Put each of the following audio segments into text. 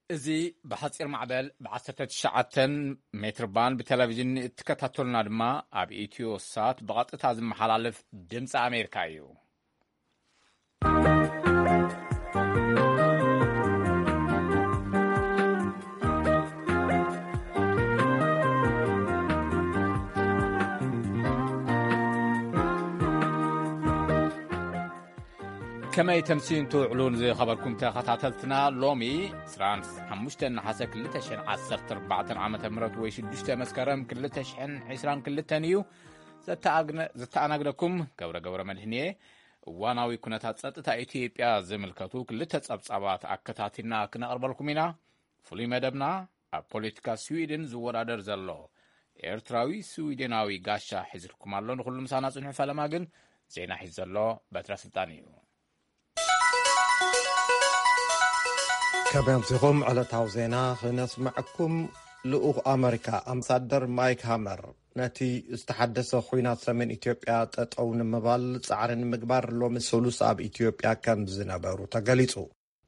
እዚ ብሓጺር ማዕበል ብ19 ሜትር ባንድ ብቴሌቪዥን እትከታተሉና ድማ ኣብ ኢትዮ ሳት ብቐጥታ ዝመሓላለፍ ድምፂ ኣሜሪካ እዩ። ከመይ ተምሲን ትውዕሉን ዝኸበርኩም ተኸታተልትና፣ ሎሚ 25 ነሓሰ 2014 ዓመተ ምህረት ወይ 6 መስከረም 2022 እዩ። ዘተኣግነ-፣ ዘተኣናግደኩም ገብረ ገብረ መድህን እየ። እዋናዊ ኩነታት ጸጥታ ኢትዮጵያ ዝምልከቱ ክልተ ጸብጻባት ኣከታቲልና ክነቕርበልኩም ኢና። ፍሉይ መደብና ኣብ ፖለቲካ ስዊድን ዝወዳደር ዘሎ ኤርትራዊ ስዊድናዊ ጋሻ ሒዝልኩም ኣሎ። ንኹሉ ምሳና ጽንሑ። ፈለማ ግን ዜና ሒዝ ዘሎ በትረ ስልጣን እዩ። ከመይ ኣምሲኹም? ዕለታዊ ዜና ክነስምዐኩም። ልኡኽ ኣመሪካ ኣምባሳደር ማይክ ሃመር ነቲ ዝተሓደሰ ኹናት ሰሜን ኢትዮጵያ ጠጠው ንምባል ጻዕሪ ንምግባር ሎሚ ሰሉስ ኣብ ኢትዮጵያ ከም ዝነበሩ ተገሊጹ።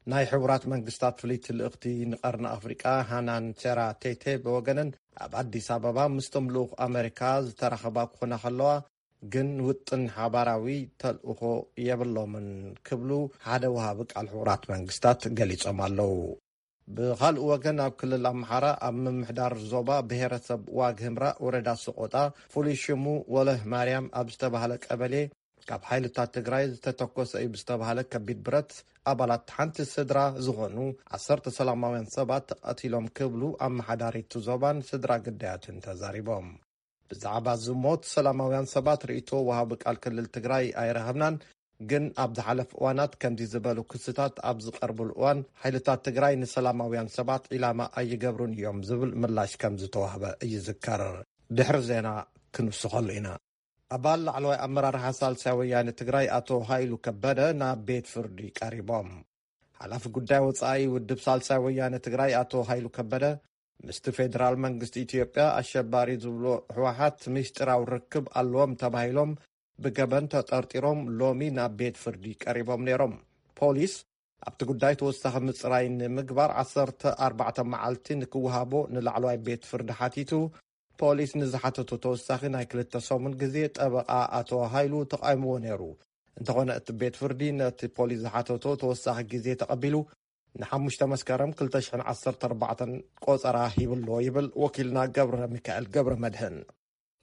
ናይ ሕቡራት መንግስታት ፍልይቲ ልእኽቲ ንቐርኒ ኣፍሪቃ ሃናን ቸራ ቴቴ ብወገነን ኣብ ኣዲስ ኣበባ ምስቶም ልኡኽ ኣመሪካ ዝተራኸባ ክኾና ከለዋ፣ ግን ውጥን ሓባራዊ ተልእኾ የብሎምን ክብሉ ሓደ ወሃቢ ቃል ሕቡራት መንግስታት ገሊጾም ኣለዉ። ብኻልእ ወገን ኣብ ክልል ኣምሓራ ኣብ ምምሕዳር ዞባ ብሔረሰብ ዋግ ህምራ ወረዳ ሰቆጣ ፍሉይ ሽሙ ወለህ ማርያም ኣብ ዝተባህለ ቀበሌ ካብ ሓይልታት ትግራይ ዝተተኮሰ እዩ ብዝተባህለ ከቢድ ብረት ኣባላት ሓንቲ ስድራ ዝኾኑ ዓሰርተ ሰላማውያን ሰባት ተቐቲሎም ክብሉ ኣመሓዳሪቱ ዞባን ስድራ ግዳያትን ተዛሪቦም። ብዛዕባ ዝሞት ሰላማውያን ሰባት ርእይቶ ወሃቢ ቃል ክልል ትግራይ ኣይረኸብናን፣ ግን ኣብ ዝሓለፉ እዋናት ከምዚ ዝበሉ ክስታት ኣብ ዝቐርብሉ እዋን ሓይልታት ትግራይ ንሰላማውያን ሰባት ዒላማ ኣይገብሩን እዮም ዝብል ምላሽ ከም ዝተዋህበ ይዝከር። ድሕሪ ዜና ክንውስኸሉ ኢና። ኣባል ላዕለዋይ ኣመራርሓ ሳልሳይ ወያነ ትግራይ ኣቶ ሃይሉ ከበደ ናብ ቤት ፍርዲ ቀሪቦም። ሓላፊ ጉዳይ ወጻኢ ውድብ ሳልሳይ ወያነ ትግራይ ኣቶ ሃይሉ ከበደ ምስቲ ፌደራል መንግስቲ ኢትዮጵያ ኣሸባሪ ዝብሎ ህወሓት ምስጢራዊ ርክብ ኣለዎም ተባሂሎም ብገበን ተጠርጢሮም ሎሚ ናብ ቤት ፍርዲ ቀሪቦም ነይሮም። ፖሊስ ኣብቲ ጉዳይ ተወሳኺ ምጽራይ ንምግባር 14 መዓልቲ ንክወሃቦ ንላዕለዋይ ቤት ፍርዲ ሓቲቱ። ፖሊስ ንዝሓተቶ ተወሳኺ ናይ ክልተ ሰሙን ግዜ ጠበቓ ኣቶ ሃይሉ ተቓይምዎ ነይሩ። እንተኾነ እቲ ቤት ፍርዲ ነቲ ፖሊስ ዝሓተቶ ተወሳኺ ግዜ ተቐቢሉ ንሓሙሽተ መስከረም 2014 ቆጸራ ሂብሎ ይብል ወኪልና ገብረ ሚካኤል ገብረ መድህን።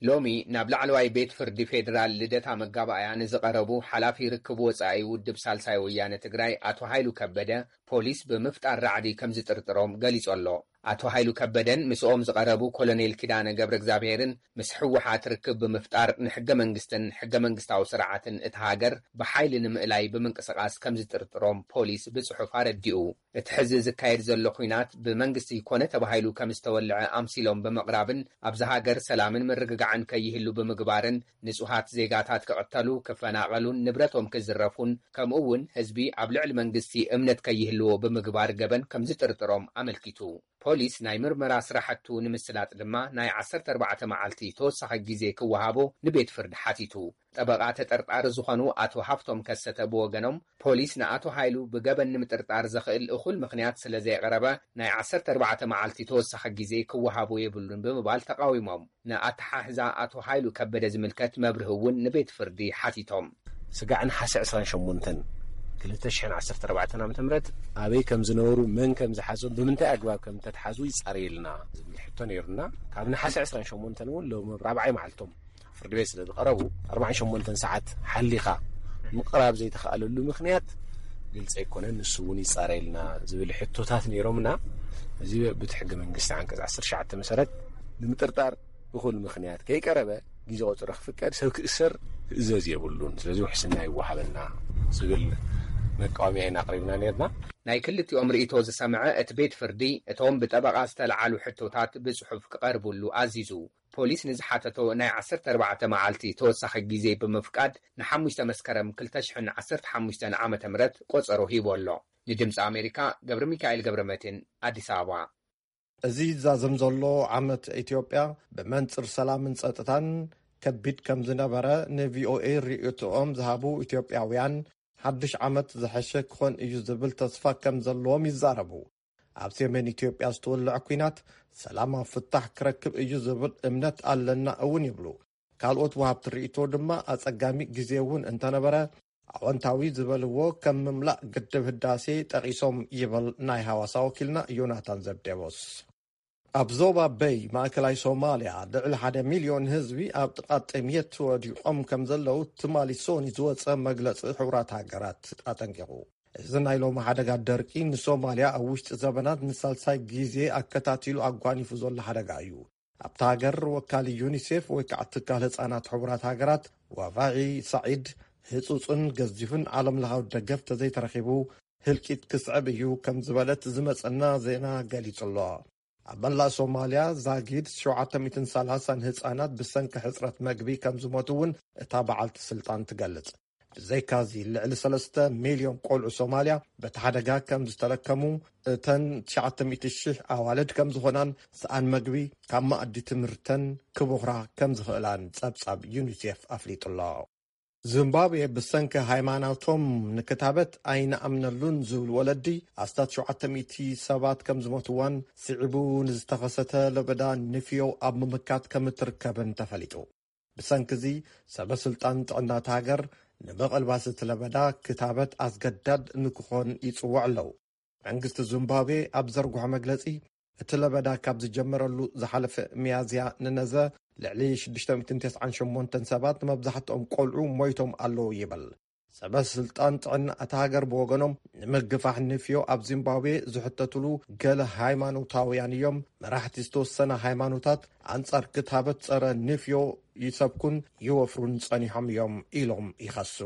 ሎሚ ናብ ላዕለዋይ ቤት ፍርዲ ፌዴራል ልደታ መጋባእያ ንዝቐረቡ ሓላፊ ርክብ ወጻኢ ውድብ ሳልሳይ ወያነ ትግራይ ኣቶ ሃይሉ ከበደ ፖሊስ ብምፍጣር ራዕዲ ከም ዝጥርጥሮም ገሊጹ ኣሎ። ኣቶ ሃይሉ ከበደን ምስኦም ዝቐረቡ ኮሎኔል ኪዳነ ገብረ እግዚኣብሔርን ምስ ህወሓት ርክብ ብምፍጣር ንሕገ መንግስትን ሕገ መንግስታዊ ስርዓትን እቲ ሃገር ብሓይሊ ንምእላይ ብምንቅስቓስ ከም ዝጥርጥሮም ፖሊስ ብጽሑፍ ኣረዲኡ። እቲ ሕዚ ዝካየድ ዘሎ ኲናት ብመንግስቲ ኮነ ተባሂሉ ከም ዝተወልዐ ኣምሲሎም ብምቕራብን ኣብዚ ሃገር ሰላምን ምርግጋዕን ከይህሉ ብምግባርን ንጹሃት ዜጋታት ክቕተሉ፣ ክፈናቐሉን ንብረቶም ክዝረፉን ከምኡ እውን ህዝቢ ኣብ ልዕሊ መንግስቲ እምነት ከይህልዎ ብምግባር ገበን ከም ዝጥርጥሮም ኣመልኪቱ። ፖሊስ ናይ ምርመራ ስራሕቱ ንምስላጥ ድማ ናይ 14 መዓልቲ ተወሳኺ ግዜ ክወሃቦ ንቤት ፍርዲ ሓቲቱ። ጠበቓ ተጠርጣሪ ዝኾኑ ኣቶ ሃፍቶም ከሰተ ብወገኖም ፖሊስ ንኣቶ ሃይሉ ብገበን ንምጥርጣር ዘኽእል እኹል ምኽንያት ስለ ዘየቕረበ ናይ 14 መዓልቲ ተወሳኺ ግዜ ክወሃቦ የብሉን ብምባል ተቓዊሞም። ንኣተሓሕዛ ኣቶ ሃይሉ ከበደ ዝምልከት መብርሂ እውን ንቤት ፍርዲ ሓቲቶም። ስጋዕ ነሓሰ 28 2014 ዓ.ም ኣበይ ከም ዝነበሩ፣ መን ከም ዝሓዞም፣ ብምንታይ ኣግባብ ከም ተተሓዙ ይጻረየልና ዝብል ሕቶ ነይሩና። ካብ ነሓሰ 28 እውን ሎም ኣብ ራብዓይ መዓልቶም ፍርዲ ቤት ስለ ዝቐረቡ 48 ሰዓት ሓሊኻ ምቕራብ ዘይተኻእለሉ ምኽንያት ግልፂ ኣይኮነን። ንሱ እውን ይጻረየልና ዝብል ሕቶታት ነይሮምና። እዚ ብቲ ሕገ መንግስቲ ዓንቀጽ 19 መሰረት ንምጥርጣር እኹል ምኽንያት ከይቀረበ ግዜ ቆጽሮ ክፍቀድ ሰብ ክእሰር ክእዘዝ የብሉን። ስለዚ ውሕስና ይወሃበና ዝብል መቃወምያ ኢና ኣቕሪብና ነርና። ናይ ክልቲኦም ርእይቶ ዝሰምዐ እቲ ቤት ፍርዲ እቶም ብጠበቓ ዝተለዓሉ ሕቶታት ብጽሑፍ ክቐርብሉ ኣዚዙ። ፖሊስ ንዝሓተቶ ናይ 14 መዓልቲ ተወሳኺ ግዜ ብምፍቃድ ንሓሙሽተ መስከረም 2015 ዓመተ ምህረት ቆጸሮ ሂቡ ኣሎ። ንድምፂ ኣሜሪካ ገብረ ሚካኤል ገብረ መድህን ኣዲስ ኣበባ። እዚ ዛዘም ዘሎ ዓመት ኢትዮጵያ ብመንጽር ሰላምን ጸጥታን ከቢድ ከም ዝነበረ ንቪኦኤ ርእይቶኦም ዝሃቡ ኢትዮጵያውያን፣ ሓድሽ ዓመት ዝሐሸ ክኾን እዩ ዝብል ተስፋ ከም ዘለዎም ይዛረቡ። ኣብ ሰሜን ኢትዮጵያ ዝተወልዐ ኲናት ሰላማዊ ፍታሕ ክረክብ እዩ ዝብል እምነት ኣለና እውን ይብሉ። ካልኦት ወሃብቲ ርእይቶ ድማ ኣጸጋሚ ግዜ እውን እንተነበረ፣ ኣወንታዊ ዝበልዎ ከም ምምላእ ግድብ ህዳሴ ጠቒሶም ይብል ናይ ሃዋሳ ወኪልና ዮናታን ዘብዴዎስ። ኣብ ዞባ በይ ማእከላይ ሶማልያ ልዕሊ ሓደ ሚልዮን ህዝቢ ኣብ ጥቓ ጥምየት ወዲቖም ከም ዘለዉ ትማሊ ሶኒ ዝወጸ መግለጺ ሕቡራት ሃገራት ኣጠንቂቑ። እዚ ናይ ሎሚ ሓደጋ ደርቂ ንሶማልያ ኣብ ውሽጢ ዘበናት ንሳልሳይ ግዜ ኣከታቲሉ ኣጓኒፉ ዘሎ ሓደጋ እዩ። ኣብታ ሃገር ወካሊ ዩኒሴፍ ወይ ከዓ ትካል ህፃናት ሕቡራት ሃገራት ዋቫዒ ሳዒድ፣ ህፁፅን ገዚፍን ዓለም ለኻዊ ደገፍ ተዘይተረኺቡ ህልቂት ክስዕብ እዩ ከም ዝበለት ዝመፀና ዜና ገሊፁ ኣሎ። ኣብ መላእ ሶማልያ ዛጊድ ሸውዓተ ሚእትን ሰላሳን ህፃናት ብሰንኪ ሕፅረት መግቢ ከም ዝሞቱ እውን እታ በዓልቲ ስልጣን ትገልፅ። ብዘይካዚ ልዕሊ ሰለስተ ሚልዮን ቆልዑ ሶማልያ በቲ ሓደጋ ከም ዝተለከሙ እተን ትሽዓተ ሚእቲ ሽሕ ኣዋልድ ከም ዝኾናን ሰኣን መግቢ ካብ መኣዲ ትምህርተን ክቦኽራ ከም ዝኽእላን ጸብጻብ ዩኒሴፍ ኣፍሊጡ ኣሎ። ዚምባብዌ ብሰንኪ ሃይማኖቶም ንክታበት ኣይንኣምነሉን ዝብሉ ወለዲ ኣስታት ሸውዓተ ሚእቲ ሰባት ከም ዝሞትዋን ስዒቡ ንዝተኸሰተ ለበዳ ንፍዮ ኣብ ምምካት ከም እትርከብን ተፈሊጡ። ብሰንኪ እዚ ሰበ ስልጣን ጥዕና እታ ሃገር ንምቕልባስ እቲ ለበዳ ክታበት ኣስገዳድ ንክኾን ይጽውዑ ኣለዉ። መንግስቲ ዚምባብዌ ኣብ ዘርግሖ መግለጺ፣ እቲ ለበዳ ካብ ዝጀመረሉ ዝሓለፈ ሚያዝያ ንነዘ ልዕሊ ሽዱሽተ ሚእትን ተስዓን ሸሞንተን ሰባት፣ መብዛሕትኦም ቆልዑ፣ ሞይቶም ኣለዉ ይብል። ሰበ ስልጣን ጥዕና እታ ሃገር ብወገኖም፣ ንምግፋሕ ንፍዮ ኣብ ዚምባብዌ ዝሕተትሉ ገለ ሃይማኖታውያን እዮም። መራሕቲ ዝተወሰነ ሃይማኖታት ኣንጻር ክታበት ጸረ ንፍዮ ይሰብኩን ይወፍሩን ጸኒሖም እዮም ኢሎም ይኸሱ።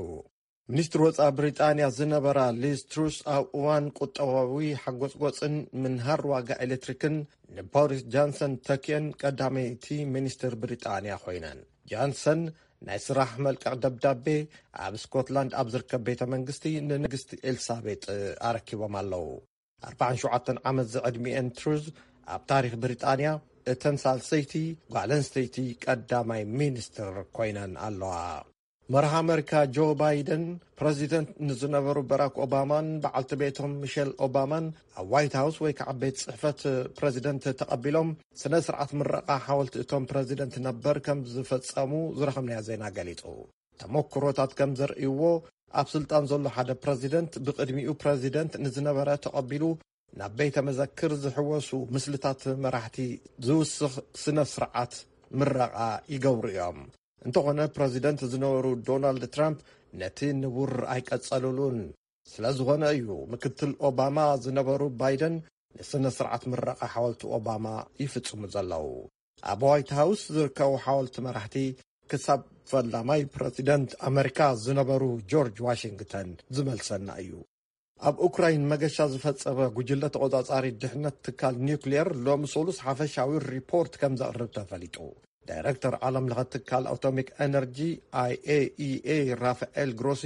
ሚኒስትር ወጻኢ ብሪጣንያ ዝነበራ ሊዝ ትሩስ ኣብ እዋን ቁጠባዊ ሓጎጽጎጽን ምንሃር ዋጋ ኤሌክትሪክን ንቦሪስ ጃንሰን ተኪአን ቀዳመይቲ ሚኒስትር ብሪጣንያ ኮይነን። ጃንሰን ናይ ስራሕ መልቀቕ ደብዳቤ ኣብ ስኮትላንድ ኣብ ዝርከብ ቤተ መንግስቲ ንንግስቲ ኤልሳቤጥ ኣረኪቦም ኣለዉ። ኣርባዓን ሸውዓተን ዓመት ዝዕድሚኤን ትሩዝ ኣብ ታሪኽ ብሪጣንያ እተን ሳልሰይቲ ጓል ኣንስተይቲ ቀዳማይ ሚኒስትር ኮይነን ኣለዋ። መራሒ ኣመሪካ ጆ ባይደን ፕረዚደንት ንዝነበሩ በራክ ኦባማን በዓልቲ ቤቶም ሚሸል ኦባማን ኣብ ዋይት ሃውስ ወይ ከዓ ቤት ጽሕፈት ፕረዚደንት ተቐቢሎም ስነ ስርዓት ምረቓ ሓወልቲ እቶም ፕረዚደንት ነበር ከም ዝፈጸሙ ዝረኸብናዮ ዜና ገሊጹ። ተመክሮታት ከም ዘርእይዎ፣ ኣብ ስልጣን ዘሎ ሓደ ፕረዚደንት ብቕድሚኡ ፕረዚደንት ንዝነበረ ተቐቢሉ ናብ ቤተ መዘክር ዝሕወሱ ምስልታት መራሕቲ ዝውስኽ ስነ ስርዓት ምረቓ ይገብሩ እዮም። እንተኾነ ፕረዚደንት ዝነበሩ ዶናልድ ትራምፕ ነቲ ንቡር ኣይቀጸሉሉን። ስለ ዝኾነ እዩ ምክትል ኦባማ ዝነበሩ ባይደን ንስነ ስርዓት ምረቓ ሓወልቲ ኦባማ ይፍጽሙ ዘለዉ። ኣብ ዋይት ሃውስ ዝርከቡ ሓወልቲ መራሕቲ ክሳብ ፈላማይ ፕረዚደንት ኣመሪካ ዝነበሩ ጆርጅ ዋሽንግተን ዝመልሰና እዩ። ኣብ ኡክራይን መገሻ ዝፈጸመ ጉጅለ ተቖጻጻሪ ድሕነት ትካል ኒውክሊየር ሎሚ ሰሉስ ሓፈሻዊ ሪፖርት ከም ዘቕርብ ተፈሊጡ። ዳይረክተር ዓለም ለኸ ትካል ኣቶሚክ ኤነርጂ፣ ኣይኤኢኤ፣ ራፋኤል ግሮሲ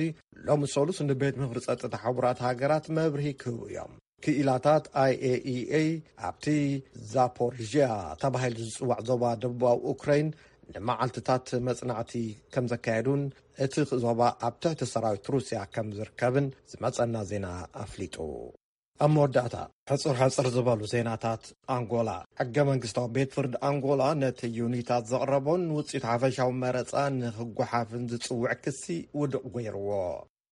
ሎሚ ሰሉስ ንቤት ምኽሪ ጸጥታ ሕቡራት ሃገራት መብርሂ ክህቡ እዮም። ክኢላታት ኣይኤኢኤ ኣብቲ ዛፖሪዥያ ተባሂሉ ዝጽዋዕ ዞባ ደቡባዊ ኡክራይን ንመዓልትታት መጽናዕቲ ከም ዘካየዱን እቲ ዞባ ኣብ ትሕቲ ሰራዊት ሩስያ ከም ዝርከብን ዝመጸና ዜና ኣፍሊጡ። ኣብ መወዳእታ፣ ሕጽር ሕጽር ዝበሉ ዜናታት ኣንጎላ። ሕገ መንግስታዊ ቤት ፍርዲ ኣንጎላ ነቲ ዩኒታት ዘቕረቦን ውጽኢት ሓፈሻዊ መረጻ ንኽጓሓፍን ዝጽውዕ ክሲ ውድቕ ገይርዎ።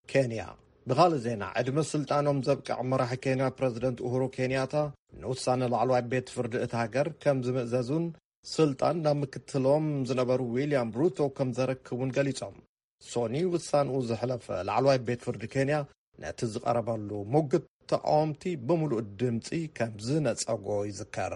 ኬንያ። ብኻልእ ዜና፣ ዕድመ ስልጣኖም ዘብቅዕ መራሒ ኬንያ ፕረዚደንት ኡሁሩ ኬንያታ ንውሳነ ላዕለዋይ ቤት ፍርዲ እታ ሃገር ከም ዝምእዘዙን ስልጣን ናብ ምክትሎም ዝነበሩ ዊልያም ሩቶ ከም ዘረክቡን ገሊጾም። ሶኒ ውሳንኡ ዘሕለፈ ላዕለዋይ ቤት ፍርዲ ኬንያ ነቲ ዝቐረበሉ ሙግት ተቃወምቲ ብምሉእ ድምጺ ከም ዝነጸጎ ይዝከር።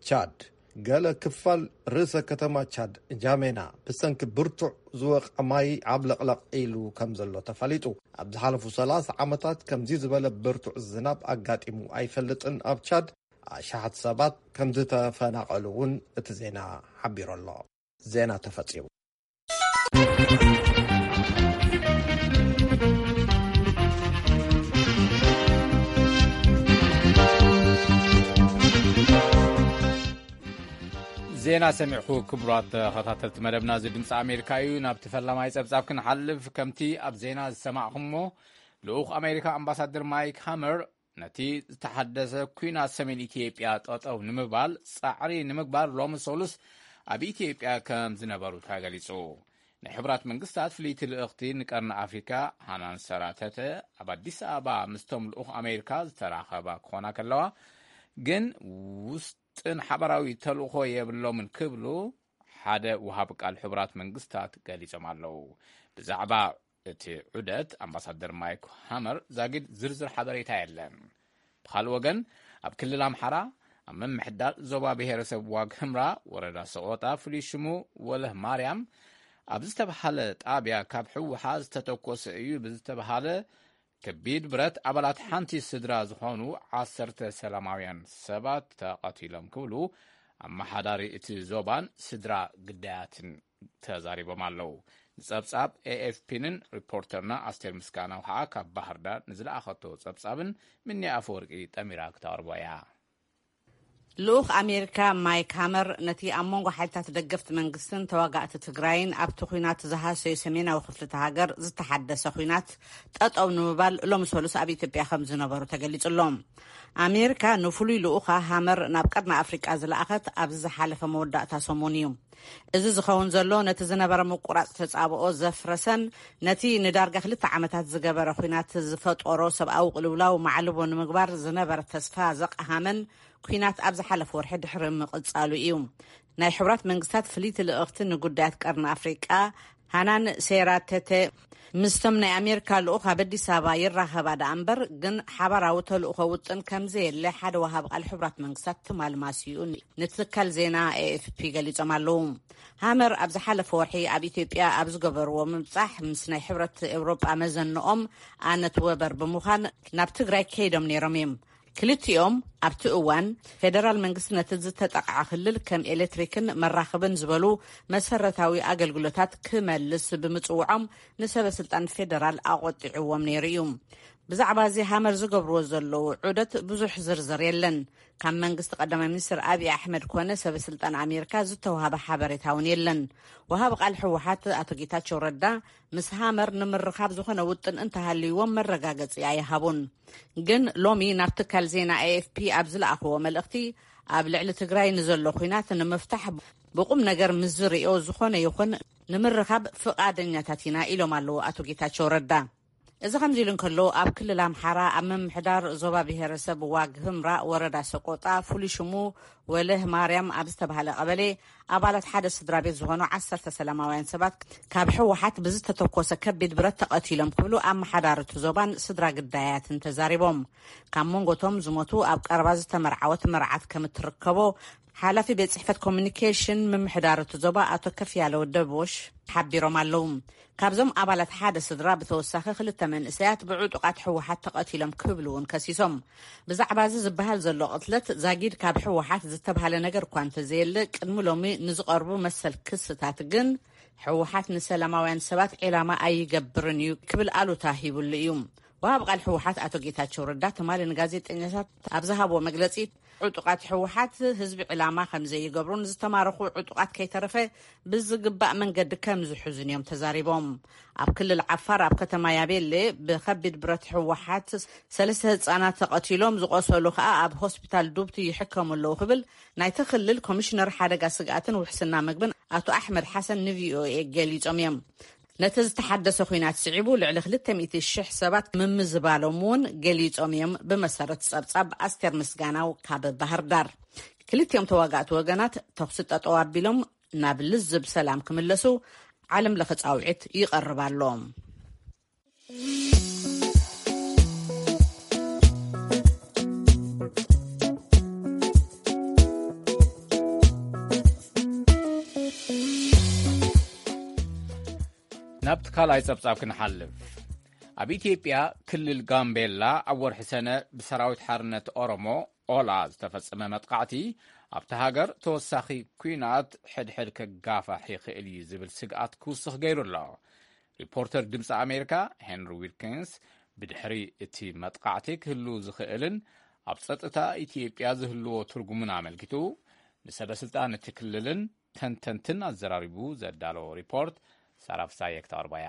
ቻድ። ገለ ክፋል ርእሰ ከተማ ቻድ ጃሜና ብሰንኪ ብርቱዕ ዝወቕዐ ማይ ዓብለቕለቕ ኢሉ ከም ዘሎ ተፈሊጡ። ኣብ ዝሓለፉ ሰላሳ ዓመታት ከምዚ ዝበለ ብርቱዕ ዝናብ ኣጋጢሙ ኣይፈልጥን። ኣብ ቻድ ኣሽሓት ሰባት ከም ዝተፈናቐሉ እውን እቲ ዜና ሓቢሩ ኣሎ። ዜና ተፈጺሙ። ዜና ሰሚዕኩ ክቡራት ተኸታተልቲ መደብና፣ እዚ ድምፂ ኣሜሪካ እዩ። ናብቲ ፈላማይ ፀብፃብ ክንሓልፍ፣ ከምቲ ኣብ ዜና ዝሰማዕኹሞ፣ ልኡኽ ኣሜሪካ ኣምባሳደር ማይክ ሃመር ነቲ ዝተሓደሰ ኲናት ሰሜን ኢትዮጵያ ጠጠው ንምባል ጻዕሪ ንምግባር ሎሚ ሰሉስ ኣብ ኢትዮጵያ ከም ዝነበሩ ተገሊጹ። ናይ ሕቡራት መንግስታት ፍልይቲ ልእኽቲ ንቀርኒ ኣፍሪካ ሃናን ሰራተተ ኣብ ኣዲስ ኣበባ ምስቶም ልኡኽ ኣሜሪካ ዝተራኸባ ክኾና ከለዋ፣ ግን ውስጥን ሓበራዊ ተልእኾ የብሎምን ክብሉ ሓደ ወሃቢ ቃል ሕቡራት መንግስታት ገሊጾም ኣለዉ። ብዛዕባ እቲ ዑደት ኣምባሳደር ማይክ ሃመር ዛጊድ ዝርዝር ሓበሬታ የለን። ብኻልእ ወገን፣ ኣብ ክልል ኣምሓራ ኣብ ምምሕዳር ዞባ ብሔረሰብ ዋግ ህምራ ወረዳ ሰቆጣ ፍሉይ ሽሙ ወለህ ማርያም ኣብ ዝተብሃለ ጣብያ ካብ ህወሓት ዝተተኮሰ እዩ ብዝተብሃለ ከቢድ ብረት ኣባላት ሓንቲ ስድራ ዝኾኑ ዓሰርተ ሰላማውያን ሰባት ተቐቲሎም ክብሉ ኣመሓዳሪ እቲ ዞባን ስድራ ግዳያትን ተዛሪቦም ኣለዉ። ንጸብጻብ ኤኤፍፒንን ሪፖርተርና ኣስቴር ምስጋናው ኸዓ ካብ ባህር ዳር ንዝለኣኸቶ ጸብጻብን ምኒ ኣፈወርቂ ጠሚራ ክተቕርቦ እያ። ልኡኽ ኣሜሪካ ማይክ ሃመር ነቲ ኣብ መንጎ ሓይልታት ደገፍቲ መንግስትን ተዋጋእቲ ትግራይን ኣብቲ ኲናት ዝሃሰዩ ሰሜናዊ ክፍልቲ ሃገር ዝተሓደሰ ኲናት ጠጠው ንምባል ሎሚ ሰሉስ ኣብ ኢትዮጵያ ከም ዝነበሩ ተገሊጹ ኣሎ። ኣሜሪካ ንፍሉይ ልኡኻ ሃመር ናብ ቀርኒ ኣፍሪቃ ዝለኣኸት ኣብዚ ዝሓለፈ መወዳእታ ሰሙን እዩ። እዚ ዝኸውን ዘሎ ነቲ ዝነበረ ምቁራጽ ተጻብኦ ዘፍረሰን ነቲ ንዳርጋ ክልተ ዓመታት ዝገበረ ኲናት ዝፈጠሮ ሰብኣዊ ቅልውላው ማዕልቦ ንምግባር ዝነበረ ተስፋ ዘቕሃመን ኲናት ኣብ ዝሓለፈ ወርሒ ድሕሪ ምቕጻሉ እዩ። ናይ ሕቡራት መንግስታት ፍልይቲ ልእኽቲ ንጉዳያት ቀርኒ ኣፍሪቃ ሃናን ሴራተተ ምስቶም ናይ ኣሜሪካ ልኡኽ ኣብ ኣዲስ ኣበባ ይራኸባ ደኣ እምበር፣ ግን ሓባራዊ ተልእኾ ውጥን ከም ዘየለ ሓደ ወሃቢ ቃል ሕቡራት መንግስታት ትማል ማስይኡ ንትካል ዜና ኤኤፍፒ ገሊጾም ኣለዉ። ሃመር ኣብ ዝሓለፈ ወርሒ ኣብ ኢትዮጵያ ኣብ ዝገበርዎ ምብጻሕ ምስ ናይ ሕብረት ኤውሮጳ መዘንኦም ኣነት ወበር ብምዃን ናብ ትግራይ ከይዶም ነይሮም እዮም። ክልቲኦም ኣብቲ እዋን ፌደራል መንግስቲ ነቲ ዝተጠቕዐ ክልል ከም ኤሌክትሪክን መራኽብን ዝበሉ መሰረታዊ ኣገልግሎታት ክመልስ ብምጽውዖም ንሰበ ስልጣን ፌደራል ኣቖጢዕዎም ነይሩ እዩ። ብዛዕባ እዚ ሃመር ዝገብርዎ ዘለዉ ዑደት ብዙሕ ዝርዝር የለን። ካብ መንግስቲ ቀዳማይ ሚኒስትር ኣብይ ኣሕመድ ኮነ ሰበ ስልጣን ኣሜሪካ ዝተዋሃበ ሓበሬታ እውን የለን። ወሃቢ ቃል ህወሓት ኣቶ ጌታቸው ረዳ ምስ ሃመር ንምርኻብ ዝኾነ ውጥን እንተሃልይዎም መረጋገጺ ኣይሃቡን። ግን ሎሚ ናብ ትካል ዜና ኤኤፍፒ ኣብ ዝለኣኽዎ መልእኽቲ ኣብ ልዕሊ ትግራይ ንዘሎ ኲናት ንምፍታሕ ብቁም ነገር ምስ ዝርእዮ ዝኾነ ይኹን ንምርኻብ ፍቓደኛታት ኢና ኢሎም ኣለዉ ኣቶ ጌታቸው ረዳ። እዚ ከምዚ ኢሉ እንከሎ ኣብ ክልል ኣምሓራ ኣብ ምምሕዳር ዞባ ብሔረሰብ ዋግ ህምራ ወረዳ ሰቆጣ ፍሉይ ሽሙ ወለህ ማርያም ኣብ ዝተባህለ ቀበሌ ኣባላት ሓደ ስድራ ቤት ዝኾኑ ዓሰርተ ሰላማውያን ሰባት ካብ ህወሓት ብዝተተኮሰ ከቢድ ብረት ተቐቲሎም ክብሉ ኣመሓዳሪ እቲ ዞባን ስድራ ግዳያትን ተዛሪቦም። ካብ መንጎቶም ዝሞቱ ኣብ ቀረባ ዝተመርዓወት መርዓት ከም እትርከቦ ሓላፊ ቤት ጽሕፈት ኮሚኒኬሽን ምምሕዳር እቲ ዞባ ኣቶ ከፍያለው ደቦሽ ሓቢሮም ኣለዉ። ካብዞም ኣባላት ሓደ ስድራ ብተወሳኺ ክልተ መንእሰያት ብዕጡቓት ህወሓት ተቐቲሎም ክብሉ እውን ከሲሶም። ብዛዕባ እዚ ዝበሃል ዘሎ ቅትለት ዛጊድ ካብ ህወሓት ዝተብሃለ ነገር እኳ እንተዘየለ፣ ቅድሚ ሎሚ ንዝቐርቡ መሰል ክስታት ግን ህወሓት ንሰላማውያን ሰባት ዒላማ ኣይገብርን እዩ ክብል ኣሉታ ሂብሉ እዩ። ወሃብ ቃል ህወሓት ኣቶ ጌታቸው ረዳ ትማሊ ንጋዜጠኛታት ኣብ ዝሃብዎ መግለጺ፣ ዕጡቓት ህወሓት ህዝቢ ዕላማ ከም ዘይገብሩን ዝተማረኹ ዕጡቓት ከይተረፈ ብዝግባእ መንገዲ ከም ዝሕዙን እዮም ተዛሪቦም። ኣብ ክልል ዓፋር ኣብ ከተማ ያቤሌ ብከቢድ ብረት ህወሓት ሰለስተ ህጻናት ተቐቲሎም፣ ዝቆሰሉ ከኣ ኣብ ሆስፒታል ዱብቲ ይሕከሙ ኣለዉ ክብል ናይቲ ክልል ኮሚሽነር ሓደጋ ስግኣትን ውሕስና ምግብን ኣቶ ኣሕመድ ሓሰን ንቪኦኤ ገሊጾም እዮም። ነቲ ዝተሓደሰ ኲናት ስዒቡ ልዕሊ ክልተ ሚእቲ ሽሕ ሰባት ምምዝባሎም እውን ገሊጾም እዮም፣ ብመሰረት ጸብጻብ ኣስቴር ምስጋናው ካብ ባህር ዳር። ክልቲኦም ተዋጋእቲ ወገናት ተኹሲ ጠጠው ኣቢሎም ናብ ልዝብ ሰላም ክምለሱ ዓለም ለኸ ጻውዒት ይቐርብ ኣሎ። ናብቲ ካልኣይ ጸብጻብ ክንሓልፍ። ኣብ ኢትዮጵያ ክልል ጋምቤላ ኣብ ወርሒ ሰነ ብሰራዊት ሓርነት ኦሮሞ ኦላ ዝተፈጸመ መጥቃዕቲ ኣብቲ ሃገር ተወሳኺ ኲናት ሕድሕድ ከጋፋሕ ይኽእል እዩ ዝብል ስግኣት ክውስኽ ገይሩ ኣሎ። ሪፖርተር ድምፂ ኣሜሪካ ሄንሪ ዊልኪንስ ብድሕሪ እቲ መጥቃዕቲ ክህሉ ዝኽእልን ኣብ ጸጥታ ኢትዮጵያ ዝህልዎ ትርጉምን ኣመልኪቱ ንሰበ ስልጣን እቲ ክልልን ተንተንትን ኣዘራሪቡ ዘዳለዎ ሪፖርት ሳራ ፍሳየ ክተቕርቦ እያ።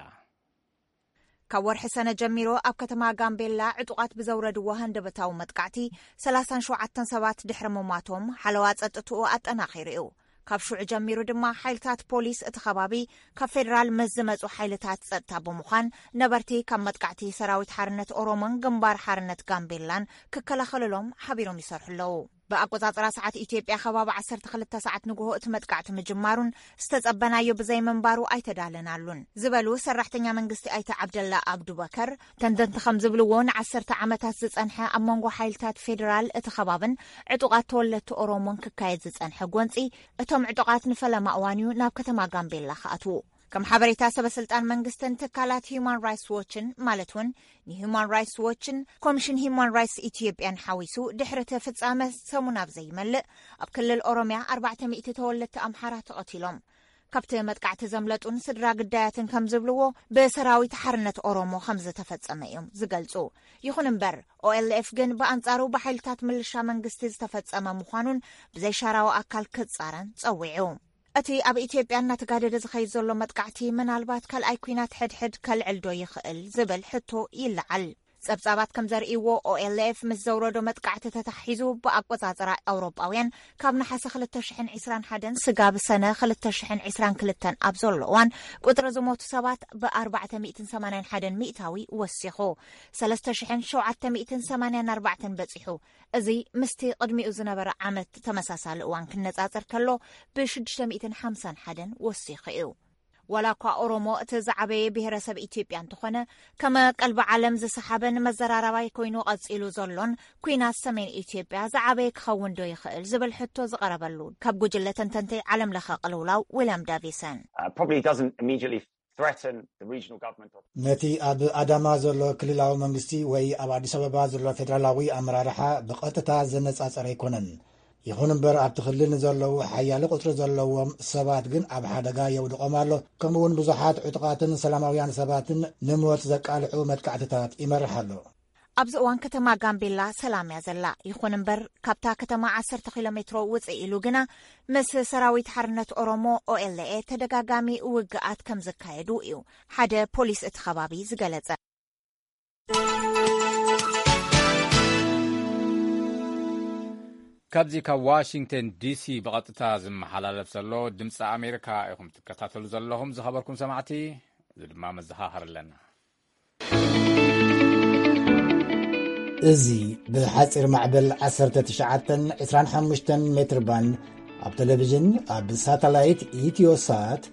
ካብ ወርሒ ሰነ ጀሚሩ ኣብ ከተማ ጋምቤላ ዕጡቓት ብዘውረድዎ ሃንደበታዊ መጥቃዕቲ ሰላሳን ሸውዓተን ሰባት ድሕሪ ምሟቶም ሓለዋ ጸጥትኡ ኣጠናኺሩ እዩ። ካብ ሽዑ ጀሚሩ ድማ ሓይልታት ፖሊስ እቲ ከባቢ ካብ ፌደራል ምስ ዝመጹ ሓይልታት ጸጥታ ብምዃን ነበርቲ ካብ መጥቃዕቲ ሰራዊት ሓርነት ኦሮሞን ግንባር ሓርነት ጋምቤላን ክከላኸልሎም ሓቢሮም ይሰርሑ ኣለዉ። ብኣቆጻጽራ ሰዓት ኢትዮጵያ ከባቢ ዓሰርተ ክልተ ሰዓት ንግሆ እቲ መጥቃዕቲ ምጅማሩን ዝተጸበናዮ ብዘይምንባሩ ኣይተዳለናሉን ዝበሉ ሰራሕተኛ መንግስቲ ኣይተ ዓብደላ ኣብዱበከር፣ ተንተንቲ ከም ዝብልዎ ንዓሰርተ ዓመታት ዝጸንሐ ኣብ መንጎ ሓይልታት ፌደራል እቲ ከባብን ዕጡቓት ተወለድቲ ኦሮሞን ክካየድ ዝጸንሐ ጎንጺ እቶም ዕጡቓት ንፈለማ እዋን እዩ ናብ ከተማ ጋምቤላ ክኣትዉ። ከም ሓበሬታ ሰበ ስልጣን መንግስትን ትካላት ሂዩማን ራይትስ ዎችን ማለት እውን ንሂዩማን ራይትስ ዎችን ኮሚሽን ሂዩማን ራይትስ ኢትዮጵያን ሓዊሱ ድሕሪ እቲ ፍጻመ ሰሙን ኣብ ዘይመልእ ኣብ ክልል ኦሮሚያ ኣርባዕተ ሚእቲ ተወለድቲ ኣምሓራ ተቐቲሎም። ካብቲ መጥቃዕቲ ዘምለጡን ስድራ ግዳያትን ከም ዝብልዎ ብሰራዊት ሓርነት ኦሮሞ ከም ዝተፈጸመ እዮም ዝገልጹ። ይኹን እምበር ኦኤልኤፍ ግን ብኣንጻሩ ብሓይልታት ምልሻ መንግስቲ ዝተፈጸመ ምዃኑን ብዘይሻራዊ ኣካል ክጻረን ጸዊዑ። እቲ ኣብ ኢትዮጵያ እናተጋደደ ዝኸይድ ዘሎ መጥቃዕቲ ምናልባት ካልኣይ ኲናት ሕድሕድ ከልዕል ዶ ይኽእል ዝብል ሕቶ ይለዓል። ጸብጻባት ከም ዘርእይዎ ኦኤልኤፍ ምስ ዘውረዶ መጥቃዕቲ ተታሒዙ ብኣቆጻጽራ ኣውሮጳውያን ካብ ነሓሰ ክልተ ሽሕን ዕስራን ሓደን ስጋብ ሰነ ክልተ ሽሕን ዕስራን ክልተን ኣብ ዘሎ እዋን ቁጽሪ ዝሞቱ ሰባት ብ ኣርባዕተ ሚእትን ሰማንያን ሓደን ሚእታዊ ወሲኹ ሰለስተ ሽሕን ሸውዓተ ሚእትን ሰማንያን ኣርባዕተን በጺሑ። እዚ ምስቲ ቅድሚኡ ዝነበረ ዓመት ተመሳሳሊ እዋን ክነጻጸር ከሎ ብ ሽዱሽተ ሚእትን ሓምሳን ሓደን ወሲኹ እዩ። ዋላ እኳ ኦሮሞ እቲ ዝዓበየ ብሄረሰብ ኢትዮጵያ እንተኾነ፣ ከመ ቀልቢ ዓለም ዝሰሓበን መዘራረባይ ኮይኑ ቀጺሉ ዘሎን ኲናት ሰሜን ኢትዮጵያ ዝዓበየ ክኸውን ዶ ይኽእል ዝብል ሕቶ ዝቐረበሉ ካብ ጉጅለ ተንተንቲ ዓለም ለኸ ቅልውላው ዊልያም ዳቪሰን። Uh, probably doesn't immediately threaten the regional government of ነቲ ኣብ ኣዳማ ዘሎ ክልላዊ መንግስቲ ወይ ኣብ ኣዲስ ኣበባ ዘሎ ፌደራላዊ ኣመራርሓ ብቐጥታ ዘነጻጸረ ኣይኮነን። ይኹን እምበር ኣብቲ ክልል ንዘለዉ ሓያሊ ቁጽሪ ዘለዎም ሰባት ግን ኣብ ሓደጋ የውድቖም ኣሎ። ከምኡ እውን ብዙሓት ዕጡቓትን ሰላማውያን ሰባትን ንሞት ዘቃልዑ መጥቃዕትታት ይመርሕ ኣሎ። ኣብዚ እዋን ከተማ ጋምቤላ ሰላም እያ ዘላ። ይኹን እምበር ካብታ ከተማ ዓሰርተ ኪሎ ሜትሮ ውፅእ ኢሉ ግና ምስ ሰራዊት ሓርነት ኦሮሞ ኦኤልኤ ተደጋጋሚ ውግኣት ከም ዝካየዱ እዩ ሓደ ፖሊስ እቲ ከባቢ ዝገለጸ። ካብዚ ካብ ዋሽንግተን ዲሲ ብቐጥታ ዝመሓላለፍ ዘሎ ድምፂ ኣሜሪካ ኢኹም ትከታተሉ ዘለኹም። ዝኸበርኩም ሰማዕቲ፣ እዚ ድማ መዘኻኸር ኣለና። እዚ ብሓፂር ማዕበል ዓሰርተ ትሽዓተን ዕስራን ሓሙሽተን ሜትር ባንድ ኣብ ቴሌቪዥን፣ ኣብ ሳተላይት ኢትዮሳት፣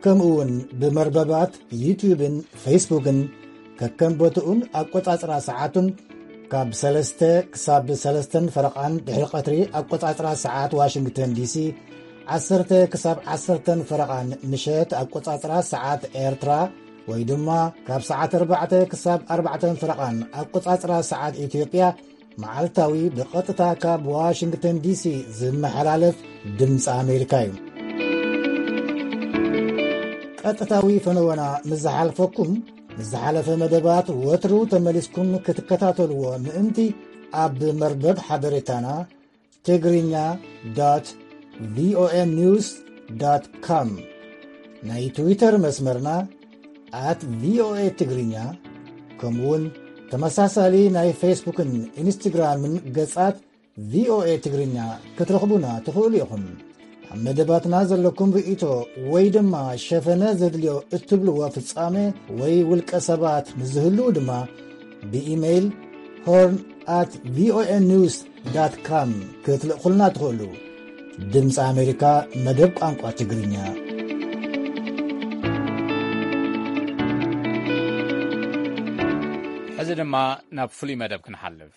ከምኡ እውን ብመርበባት ዩትዩብን ፌስቡክን ከከም ቦትኡን ኣቆጻጽራ ሰዓቱን ካብ ሰለስተ ክሳብ ሰለስተን ፈረቓን ድሕሪ ቀትሪ ኣቆጻጽራ ሰዓት ዋሽንግተን ዲሲ፣ ዓሰርተ ክሳብ ዓሰርተን ፈረቓን ምሸት ኣቆጻጽራ ሰዓት ኤርትራ፣ ወይ ድማ ካብ ሰዓት ኣርባዕተ ክሳብ ኣርባዕተን ፈረቓን ኣቆጻጽራ ሰዓት ኢትዮጵያ፣ መዓልታዊ ብቐጥታ ካብ ዋሽንግተን ዲሲ ዝመሓላለፍ ድምፂ ኣሜሪካ እዩ። ቀጥታዊ ፈነወና ምስ ዝሓልፈኩም፣ ምስ ዝሓለፈ መደባት ወትሩ ተመሊስኩም ክትከታተልዎ ምእንቲ፣ ኣብ መርበብ ሓበሬታና ትግርኛ ዶት ቪኦኤ ኒውስ ዶት ኮም፣ ናይ ትዊተር መስመርና ኣት ቪኦኤ ትግርኛ፣ ከምኡውን ተመሳሳሊ ናይ ፌስቡክን ኢንስትግራምን ገጻት ቪኦኤ ትግርኛ ክትረኽቡና ትኽእሉ ኢኹም። ኣብ መደባትና ዘለኩም ርእይቶ ወይ ድማ ሸፈነ ዘድልዮ እትብልዎ ፍጻመ ወይ ውልቀ ሰባት ምስ ዝህልዉ ድማ ብኢሜይል ሆርን ኣት ቪኦኤ ኒውስ ዳት ካም ክትልእኹልና ትኽእሉ። ድምፂ ኣሜሪካ፣ መደብ ቋንቋ ትግርኛ። ሕዚ ድማ ናብ ፍሉይ መደብ ክንሓልፍ።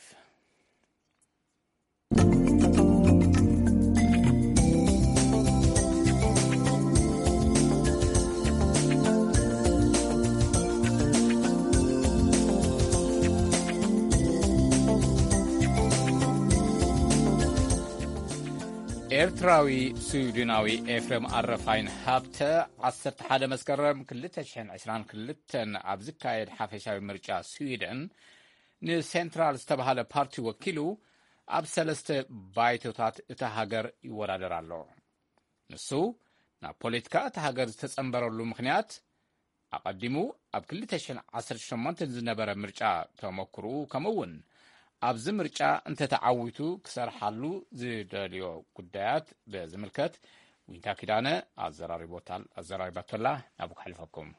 ኤርትራዊ ስዊድናዊ ኤፍሬም ኣረፋይን ሃብተ ዓሰርተ ሓደ መስከረም ክልተ ሽሕን ዕስራን ክልተን ኣብ ዝካየድ ሓፈሻዊ ምርጫ ስዊድን ንሴንትራል ዝተባህለ ፓርቲ ወኪሉ ኣብ ሰለስተ ባይቶታት እታ ሃገር ይወዳደር ኣሎ። ንሱ ናብ ፖለቲካ እታ ሃገር ዝተጸንበረሉ ምኽንያት ኣቐዲሙ ኣብ ክልተ ሽሕን ዓሰርተ ሸሞንተን ዝነበረ ምርጫ ተመክርኡ፣ ከምኡ እውን ኣብዚ ምርጫ እንተተዓዊቱ ክሰርሓሉ ዝደልዮ ጉዳያት ብዝምልከት ዊንታ ኪዳነ ኣዘራሪቦታል-፣ ኣዘራሪባቶላ። ናብኡ ክሕልፈኩም።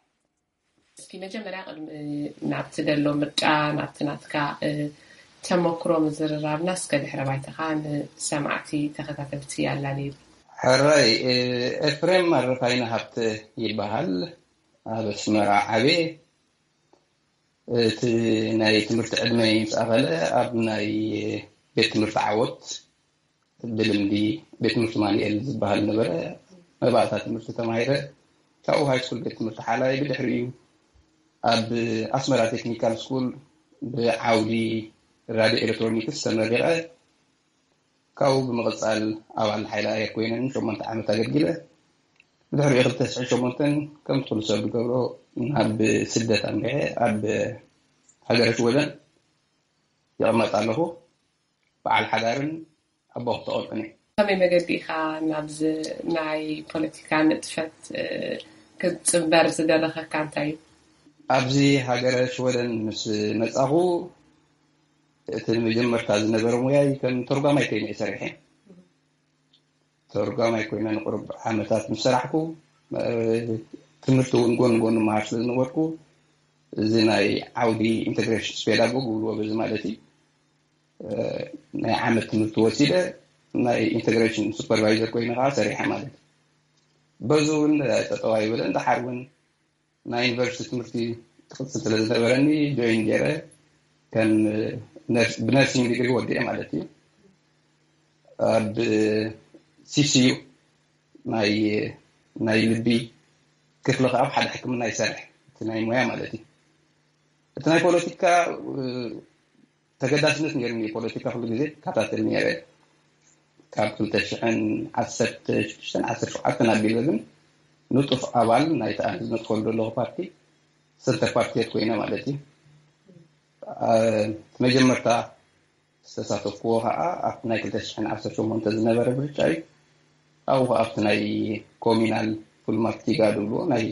እስኪ መጀመርያ ቅድሚ ናብቲ ደሎ ምርጫ፣ ናብቲ ናትካ፣ እ፣ ተመክሮ ምዝርራብና እስከ ድሕረ ባይታኻ ንሰማዕቲ ተኸታተልቲ ኣላልየሉ። ሕራይ፣ እ፣ ኤፍሬም ኣረፋይነ ሃብተ ይበሃል። ኣብ ኣስመራ ዓብየ። እቲ ናይ ትምህርቲ ዕድመይ ምስ ኣኸለ ኣብ ናይ ቤት ትምህርቲ ዓወት ብልምዲ ቤት ትምህርቲ ማኑኤል ዝበሃል ነበረ። መባእታ ትምህርቲ ተማሂረ። ካብኡ ሃይ ስኩል ቤት ትምህርቲ ሓላይ፣ ብድሕሪኡ ኣብ ኣስመራ ቴክኒካል ስኩል ብዓውዲ ራድዮ ኤሌክትሮኒክስ ተመሪቐ። ካብኡ ብምቕጻል ኣባል ሓይሊ ኣየር ኮይነ ንሸሞንተ ዓመት ኣገልጊለ። ብድሕሪኡ ክልተ ሽሕን ሸሞንተን ከምቲ ኩሉ ሰብ ዝገብሮ ናብ ስደት ኣምሪሐ ኣብ ሃገረ ሽወደን ይቕመጥ ኣለኹ። በዓል ሓዳርን ኣቦ ክልተ ቆልዑን እየ። ከመይ መገዲ ኢኻ ናብዚ ናይ ፖለቲካ ንጥፈት፣ እ፣ ክትጽንበር ዝደረኸካ እንታይ እዩ? ኣብዚ ሃገረ ሽወደን ምስ መጻኹ እቲ መጀመርታ ዝነበረ ሙያይ ከም ተርጓማይ ኮይነ እየ ሰሪሐ። ተርጓማይ ኮይነ ንቁሩብ ዓመታት ምስ ሰራሕኩ፣ እ፣ ትምህርቲ እውን ጎን ጎን መሃር ስለ ዝነበርኩ፣ እዚ ናይ ዓውዲ ኢንተግሬሽን ፔዳጎግ ይብልዎ በዚ ማለት እዩ። እ፣ ናይ ዓመት ትምህርቲ ወሲደ ናይ ኢንተግሬሽን ሱፐርቫይዘር ኮይነ ከዓ ሰሪሐ ማለት እዩ። በዚ እውን ጠጠው ኣይበለን። ደሓር እውን ናይ ዩኒቨርሲቲ ትምህርቲ ክቕጽል ስለ ዝነበረኒ ጆይን ገይረ ከም ነርስ-፣ ብነርሲንግ ዲግሪ ወዲኤ ማለት እዩ። ኣብ ሲሲዩ ናይ፣ ናይ ልቢ ክፍሊ ከዓ ኣብ ሓደ ሕክምና ይሰርሕ፣ እቲ ናይ ሞያ ማለት እዩ። እቲ ናይ ፖለቲካ፣ እ፣ ተገዳስነት ነይሩኒ። ፖለቲካ ኩሉ ግዜ ይከታተል ነይረ። ካብ ክልተ ሽሕን ዓሰርተ ሽዱሽተን ዓሰርተ ሸውዓተን ኣቢለ ግን ንጡፍ ኣባል ናይቲ ኣነ ዝነጥፈሉ ዘለኹ ፓርቲ፣ ሰንተር ፓርቲ ኮይነ ማለት እዩ። አ፣ መጀመርታ ዝተሳተፍኩዎ ከዓ ኣብቲ ናይ ክልተ ሽሕን ዓሰርተ ሸሞንተ ዝነበረ ምርጫ እዩ። ኣብኡ ከዓ ኣብቲ ናይ ኮሚናል ፉልማክቲጋ ዝብልዎ ናይ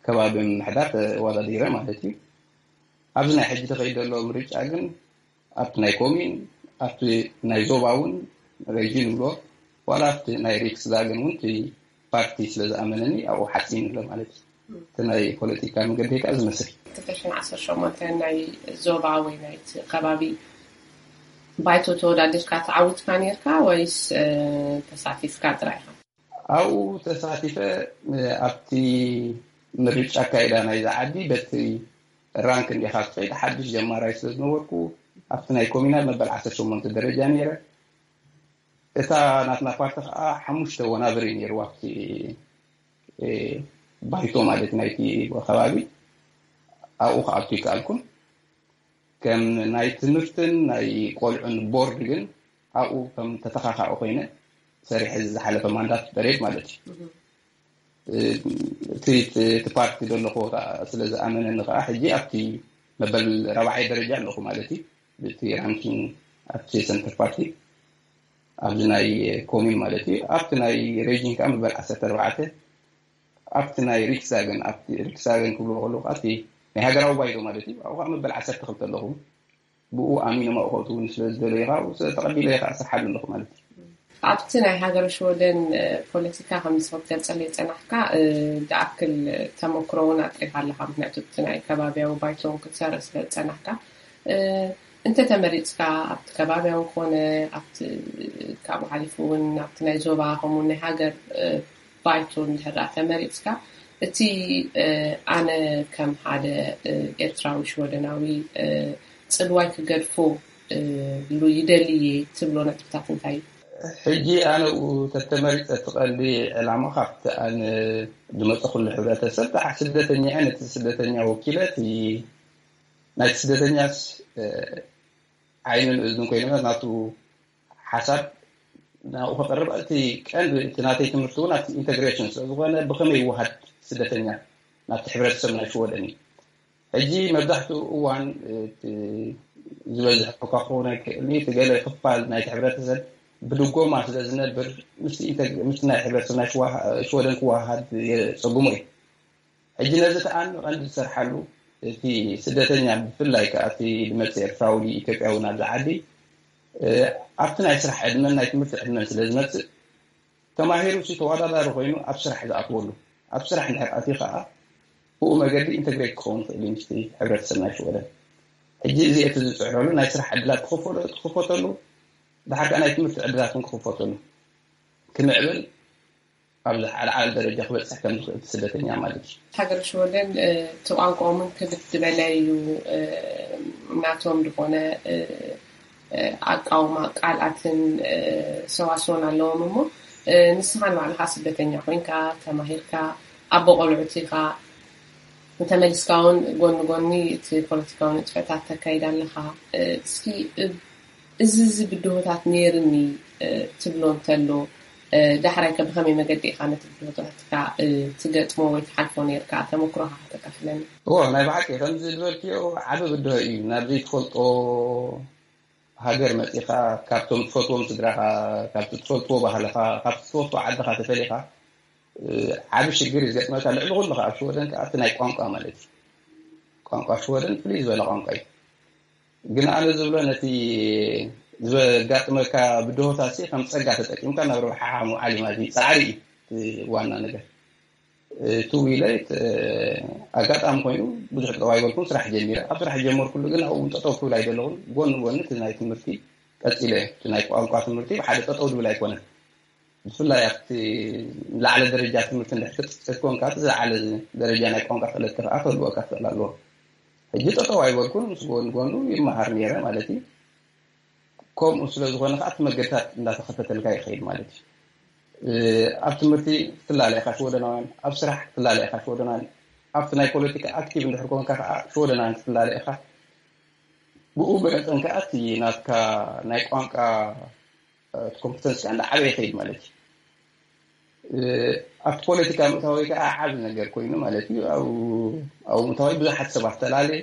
ከባቢ ምምሕዳር ተወዳዲረ ማለት እዩ። ኣብዚ ናይ ሕጂ ተኸይዱ ዘሎ ምርጫ ግን ኣብቲ ናይ ኮሚን፣ ኣብቲ ናይ ዞባ እውን ሬጂን ንብሎ፣ ዋላ ኣብቲ ናይ ሪክስዳግን እውን እቲ ፓርቲ ስለ ዝኣመነኒ ኣብኡ ሓፂን ኣሎ ማለት እዩ። እቲ ናይ ፖለቲካ መገዲ ከዓ ዝመስል። ክልተ ሽሕን ዓሰርተ ሸሞንተ ናይ ዞባ ወይ ናይቲ ከባቢ ባይቶ ተወዳዲርካ ተዓዊትካ ነይርካ ወይስ፣ እ፣ ተሳቲፍካ ጥራይ ኢኻ? ኣብኡ ተሳቲፈ፣ እ፣ ኣብቲ ምርጫ ኣካይዳ ናይዛ ዓዲ በቲ ራንክ እንዲኻ ትኸይድ፣ ሓድሽ ጀማራይ ስለ ዝነበርኩ ኣብቲ ናይ ኮሚናል መበል ዓሰርተ ሸሞንተ ደረጃ ነይረ። እታ ናትና ፓርቲ ከዓ ሓሙሽተ ወናብር እዩ ነይርዋ ኣብቲ፣ እ፣ ባይቶ ማለት ናይቲ ከባቢ። ኣብኡ ክኣቱ ይከኣልኩን። ከም ናይ ትምህርትን ናይ ቆልዑን ቦርድ ግን ኣብኡ ከም ተተኻኻኢ ኮይነ ሰሪሐ፣ እዚ ዝሓለፈ ማንዳት በሬድ ማለት እዩ። እህ። እ፣ እቲ፣ እቲ፣ እቲ ፓርቲ ዘሎ ኮታ ስለ ዝኣመነኒ ከዓ ሕጂ ኣብቲ መበል ራብዓይ ደረጃ ኣለኹ ማለት እዩ። ብቲ ራንኪንግ ኣብቲ ሰንተር ፓርቲ ኣብዚ ናይ ኮሚን ማለት እዩ። ኣብቲ ናይ ሬጂን ከዓ መበል ዓሰርተ ኣርባዕተ፣ ኣብቲ ናይ ሪክስዳገን፣ ኣብቲ ሪክስዳገን ክብልዎ ከለዉ ከዓ እቲ ናይ ሃገራዊ ባይቶ ማለት እዩ። ኣብኡ ከዓ መበል ዓሰርተ ክልተ ኣለኹ። ብኡ ኣሚኖም ኣብኡ ከእትውኒ ስለ ዝደለዩ ከዓ ኣብኡ ተቐቢለ ከዓ እሰርሓሉ ኣለኹ ማለት እዩ። ኣብቲ ናይ ሃገረ ሽወደን፣ እ፣ ፖለቲካ ከምዚ ክትገልጸለይ ዝጸናሕካ፣ እ፣ ዝኣክል ተመክሮ እውን ኣጥሪኻ ኣለኻ። ምክንያቱ እቲ ናይ ከባብያዊ ባይቶ እውን ክትሰርሕ ስለ ዝጸናሕካ፣ እ፣ እንተ ተመሪጽካ ኣብቲ ከባብያዊ ኮነ ኣብቲ፣ ካብኡ ሓሊፉ እውን ኣብቲ ናይ ዞባ ከምኡ ናይ ሃገር፣ እ፣ ባይቶ እንድሕር ደኣ ተመሪጽካ፣ እቲ፣ እ፣ ኣነ ከም ሓደ፣ እ፣ ኤርትራዊ ሽወደናዊ፣ እ፣ ጽልዋይ ክገድፎ፣ እ፣ ሉ ይደሊ እየ ትብሎ ነጥብታት እንታይ እዩ? ሕጂ ኣነ ኣብኡ ተተመሪጸ፣ እቲ ቀንዲ ዕላማ ካብቲ ኣነ ዝመጸኹሉ ሕብረተሰብ፣ ደሓር ስደተኛ እየ፣ ነቲ ስደተኛ ወኪለ፣ እቲ ናይቲ ስደተኛስ፣ እ፣ ዓይንን እዝንን ኮይነ ናቱ ሓሳብ ናብኡ ከቕርብ፣ እቲ ቀንዲ እቲ ናተይ ትምህርቲ እውን ኣብቲ ኢንተግሬሽን ስለ ዝኾነ፣ ብኸመይ ይወሃድ ስደተኛ ናብቲ ሕብረተሰብ ናይ ሽወደን እዩ። ሕጂ መብዛሕትኡ እዋን እቲ ዝበዝሕ እኳ ክኸውን ኣይክእልን እዩ፣ እቲ ገለ ክፋል ናይቲ ሕብረተሰብ ብድጎማ ስለ ዝነብር፣ ምስቲ ኢንተግ-፣ ምስቲ ናይ ሕብረተሰብ ናይ ሽዋ-፣ ሽወደን ክወሃሃድ የጸግሞ እዩ። ሕጂ ነዚ ከኣ ቀንዲ ዝሰርሓሉ እቲ ስደተኛ፣ ብፍላይ ከኣ እቲ ዝመጽእ ኤርትራዊ ኢትዮጵያዊ ናብዚ ዓዲ፣ ኣብቲ ናይ ስራሕ ዕድመን ናይ ትምህርቲ ዕድመን ስለ ዝመጽእ፣ ተማሂሩ ሲ ተወዳዳሪ ኮይኑ ኣብ ስራሕ ዝኣትወሉ፣ ኣብ ስራሕ እንድሕር ኣትዩ ከኣ ብኡ መገዲ ኢንተግሬት ክኸውን ይኽእል እዩ ምስቲ ሕብረተሰብ ናይ ሽወደን። ሕጂ እዚ እቲ ዝጽዕረሉ ናይ ስራሕ ዕድላት ክኽፈተሉ፣ ድሓር ከኣ ናይ ትምህርቲ ዕድላት ክኽፈተሉ፣ ክምዕብል ኣብ ዝዓለዓለ ደረጃ ክበጽሕ ከም ዝኽእል ስደተኛ ማለት እዩ። ሃገር ሽወደን እቲ ቋንቋኦምን ክብድ ዝበለ እዩ። ናቶም ዝኾነ ኣቃውማ ቃላትን ሰዋስወን ኣለዎም። እሞ ንስኻ ንባዕልኻ ስደተኛ ኮይንካ ተማሂርካ ኣቦ ቆልዑት ኢኻ፣ እንተመሊስካ እውን ጎኒ ጎኒ እቲ ፖለቲካዊ ንጥፈታት ተካይድ ኣለኻ። እስኪ እዚ እዚ ብድሆታት ነይርኒ ትብሎ እንተሎ፣ ዳሕራይ ከ ብኸመይ መገዲ ኢኻ ነቲ ብድሆታትካ ትገጥሞ ወይ ትሓልፎ ነይርካ? ተመክሮኻ ከተካፍለኒ። እዎ፣ ናይ ብሓቂ ከምዚ ዝበልክዮ ዓቢ ብድሆ እዩ። ናብ ዘይትፈልጦ ሃገር መጺኻ፣ ካብቶም ትፈትዎም ስድራኻ፣ ካብቲ ትፈልጥዎ ባህልኻ፣ ካብቲ ትፈትዎ ዓድኻ ተፈሊኻ፣ ዓቢ ሽግር እዩ ዝገጥመካ። ልዕሊ ኩሉ ከኣ ኣብ ሽወደን ከኣ እቲ ናይ ቋንቋ ማለት እዩ። ቋንቋ ሽወደን ፍልይ ዝበለ ቋንቋ እዩ። ግን ኣነ ዝብሎ ነቲ ዘጋጥመካ ብድሆታት ሲ ከም ጸጋ ተጠቂምካ ናብ ረብሓኻ ምውዓል እዩ ማለት እዩ። ጻዕሪ እዩ እቲ ዋና ነገር። ትው ኢለ ኣጋጣሚ ኮይኑ ብዙሕ ጠጠው ኣይበልኩን፣ ስራሕ ጀሚረ። ኣብ ስራሕ ጀመርኩሉ ግን ኣብኡ እውን ጠጠው ክብል ኣይደለኹን። ጎኒ ጎኒ እቲ ናይ ትምህርቲ ቀጺለ። እቲ ናይ ቋንቋ ትምህርቲ ብሓደ ጠጠው ዝብል ኣይኮነን። ብፍላይ ኣብቲ ላዕለ ደረጃ ትምህርቲ እንድሕር ክትጽዕት ኮንካ፣ እቲ ዝለዓለ ደረጃ ናይ ቋንቋ ክእለት ከኣ ክህልወካ ክኽእል ኣለዎ። ሕጂ ጠጠው ኣይበልኩን፣ ምስ ጎን ጎኑ ይመሃር ነይረ ማለት እዩ። ከምኡ ስለ ዝኾነ ከኣ እቲ መገድታት እንዳተኸፈተልካ ይኸይድ ማለት እዩ። ኣብ ትምህርቲ ክትላለ ኢኻ ሽወደናውያን፣ ኣብ ስራሕ ክትላለ ኢኻ ሽወደናውያን፣ ኣብቲ ናይ ፖለቲካ ኣክቲቭ እንድሕር ኮንካ ከኣ ሽወደናውያን ክትላለ ኢኻ። ብኡ መጠን ከኣ እቲ ናትካ ናይ ቋንቋ እቲ ኮምፕተንስ ከኣ እንዳዓበየ ይኸይድ ማለት እዩ። ኣብቲ ፖለቲካ ምእታወይ ከኣ ዓቢ ነገር ኮይኑ ማለት እዩ። ኣብኡ ምእታወይ ብዙሓት ሰባት ተላልየ፣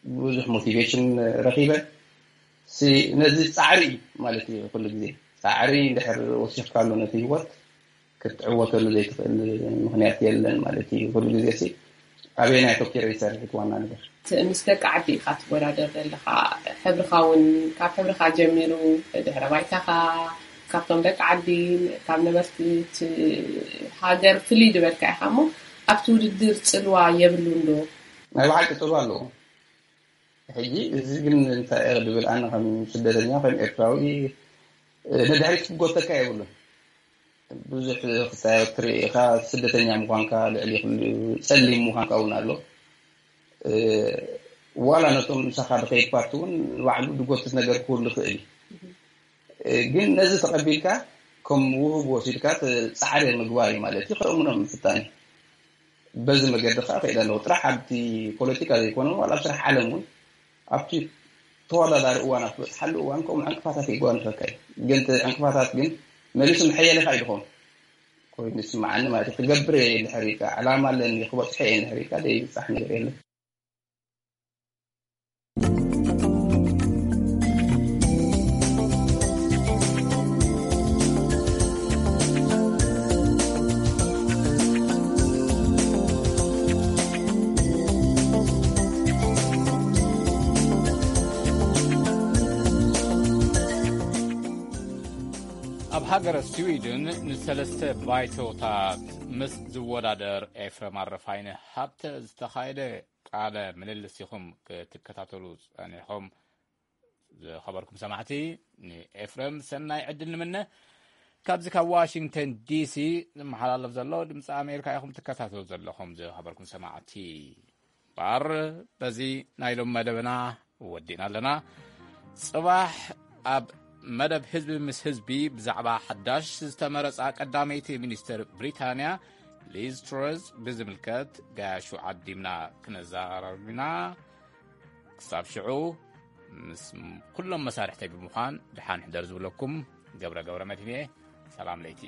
ብዙሕ ሞቲቬሽን ረኺበ። ነዚ ጻዕሪ እዩ ማለት እዩ። ኩሉ ግዜ ጻዕሪ እንድሕር ወሲኽካሉ ነቲ ህይወት ክትዕወተሉ ዘይትኽእል ምኽንያት የለን ማለት እዩ። ኩሉ ግዜ ኣበየናይ ኣተኪረ ይሰርሕ እቲ ዋና ነገር። ምስ ደቂ ዓዲ ኢኻ ትወዳደር ዘለኻ። ሕብርኻ እውን ካብ ሕብርኻ ጀሚሩ፣ ድሕረ ባይታኻ ካብቶም ደቂ ዓዲ፣ ካብ ነበርቲ እቲ ሃገር ፍልይ ዝበልካ ኢኻ። እሞ ኣብቲ ውድድር ጽልዋ የብሉን ዶ? ናይ ብሓቂ ጽልዋ ኣለዎ። ሕጂ እዚ ግን እንታይ እየ ድብል፣ ኣነ ከም ስደተኛ ከም ኤርትራዊ ንድሕሪት ክጎተካ የብሉን። ብዙሕ ክሳዮ ትርኢ ኢኻ፣ ስደተኛ ምዃንካ ልዕሊ ኩሉ ጸሊም ምዃንካ እውን ኣሎ። ዋላ ነቶም ምሳኻ ዝኸይድ ፓርቲ እውን ንባዕሉ ዝጎትት ነገር ክህሉ ይኽእል እዩ። ግን ነዚ ተቐቢልካ ከም ውህብ ወሲድካ ጻዕሪ ምግባር እዩ ማለት እዩ። ከእምኖም ምፍታን እዩ። በዚ መገዲ ከዓ ከይደ ኣለኹ። ጥራሕ ኣብቲ ፖለቲካ ዘይኮነ ዋላ ኣብ ስራሕ ዓለም እውን ኣብቲ ተወዳዳሪ እዋን ኣብ ትበፅሓሉ እዋን ከምኡ ዕንቅፋታት ይጓንፈካ እዩ። ግን እቲ ዕንቅፋታት ግን መሊሱ መሐየሊኻ እዩ ዝኾን ኮይኑ ይስምዓኒ ማለት እዩ። ክገብር እየ ድሕር ኢልካ ዕላማ ኣለኒ ክበፅሐ እየ ድሕር ኢልካ ዘይብፃሕ ነገር የለን። ኣብ ሃገረ ስዊድን ንሰለስተ ባይቶታት ምስ ዝወዳደር ኤፍረም ኣረፋይነ ሃብተ ዝተኻየደ ቃለ ምልልስ ኢኹም ክትከታተሉ ጸኒሕኹም። ዝኸበርኩም ሰማዕቲ፣ ንኤፍረም ሰናይ ዕድል ንምነ። ካብዚ ካብ ዋሽንግተን ዲሲ ዝመሓላለፍ ዘሎ ድምፂ ኣሜሪካ ኢኹም ትከታተሉ ዘለኹም። ዝኸበርኩም ሰማዕቲ፣ ባር በዚ ናይ ሎም መደብና ወዲእና ኣለና። ጽባሕ ኣብ መደብ ህዝቢ ምስ ህዝቢ ብዛዕባ ሓዳሽ ዝተመረጻ ቀዳመይቲ ሚኒስትር ብሪታንያ ሊዝ ትረስ ብዝምልከት ጋያሹ ዓዲምና ክነዘራርብ ኢና። ክሳብ ሽዑ ምስ ኩሎም መሳርሕተይ ብምዃን ደሓን ሕደር ዝብለኩም ገብረ ገብረ መድህን እየ። ሰላም ለይቲ።